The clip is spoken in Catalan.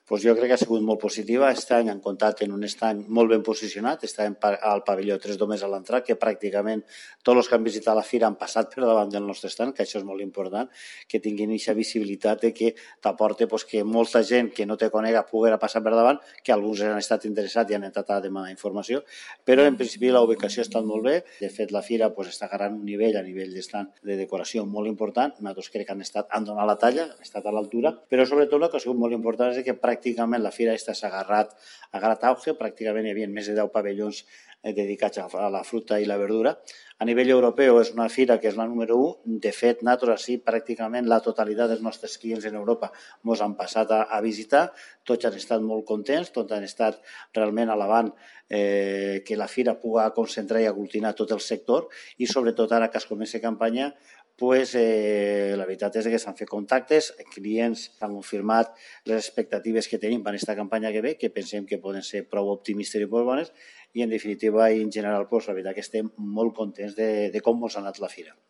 Pues jo crec que ha sigut molt positiva. Aquest any han comptat en un estany molt ben posicionat. Estem al pavelló 3 d'Homes a l'entrar, que pràcticament tots els que han visitat la fira han passat per davant del nostre estand, que això és molt important, que tinguin aquesta visibilitat de que t'aporta que molta gent que no te conega pugui passar per davant, que alguns han estat interessats i han entrat a demanar informació, però en principi la ubicació ha estat molt bé. De fet, la fira està agarrant un nivell a nivell d'estand de decoració molt important. Nosaltres crec que han donat la talla, han estat a l'altura, però sobretot el que ha sigut molt important és que pràcticament la fira s'ha agarrat auge. Pràcticament hi havia més de 10 pavellons dedicats a la fruita i la verdura. A nivell europeu és una fira que és la número 1. De fet, nosaltres sí, pràcticament la totalitat dels nostres clients en Europa ens han passat a visitar. Tots han estat molt contents, tots han estat realment alabant que la fira pugui concentrar i aglutinar tot el sector, i sobretot ara que es comença campanya, la veritat és que s'han fet contactes, clients han confirmat les expectatives que tenim per aquesta campanya que ve, que pensem que poden ser prou optimistes i molt bones, i en definitiva i en general la veritat que estem molt contents de com ens ha anat la fira.